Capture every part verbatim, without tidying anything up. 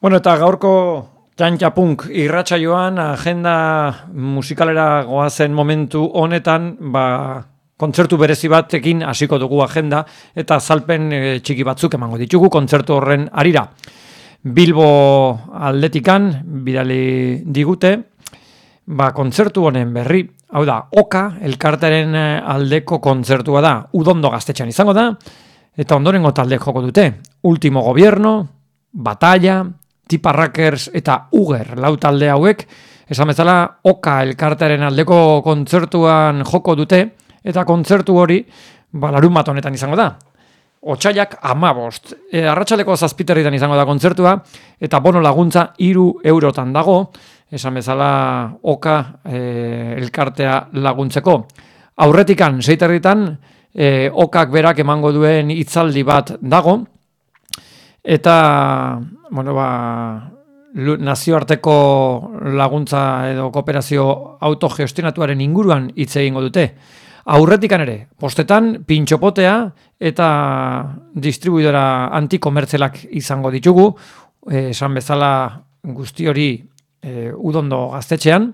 Bueno, eta gaurko txantxapunk irratsaioan agenda musikalera goazen momentu honetan, ba, kontzertu berezi batekin hasiko dugu agenda eta azalpen e, txiki batzuk emango ditugu kontzertu horren harira. Bilbo aldetikan bidali digute, ba, kontzertu honen berri, hau da, Oka elkartearen aldeko kontzertua da, Udondo Gaztetxean izango da, eta ondorengo talde joko dute, Último Gobierno, Batalla, Tiparrakers eta Uger lau talde hauek, esan bezala Oka elkartearen aldeko kontzertuan joko dute, eta kontzertu hori ba, larun bat honetan izango da. Otsaiak amabost. E, arratsaldeko zazpiterritan izango da kontzertua, eta bono laguntza hiru eurotan dago, esan bezala Oka e, elkartea laguntzeko. Aurretikan, seiterritan, e, Okak berak emango duen hitzaldi bat dago, eta bueno, ba, nazioarteko laguntza edo kooperazio autogestionatuaren inguruan hitz egingo dute. Aurretikan ere, postetan, pintxopotea eta distribuidora antikomertzelak izango ditugu, eh, esan bezala guzti hori eh, Udondo Gaztetxean,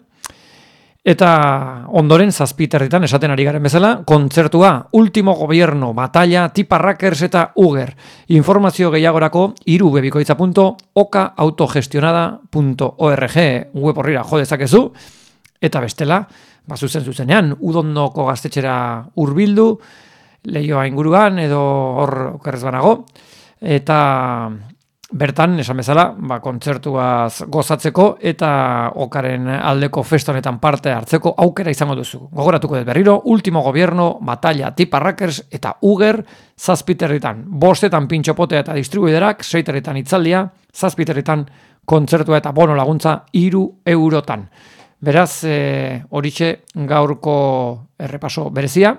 eta ondoren zazpiterritan esaten ari garen bezala, kontzertua Último Gobierno, Batalla, Tiparrakers eta Uger. Informazio gehiagorako irubebikoitza punto oka autogestionada punto org web horrira jo dezakezu, eta bestela, ba, zuzen zuzenean, Udondoko Gaztetxera hurbildu, Leioa inguruan edo hor okerrez banago, eta bertan, esan bezala, ba, kontzertuaz gozatzeko eta Okaren aldeko festa honetan parte hartzeko aukera izango duzu. Gogoratuko dut berriro, Último Gobierno, Batalla, Tiparrakers eta Uger zazpiterritan. Bostetan pintxopotea eta distribuiderak, seiterritan itzaldia, zazpiterritan kontzertua eta bono laguntza hiru eurotan. Beraz, e, horixe gaurko errepaso berezia.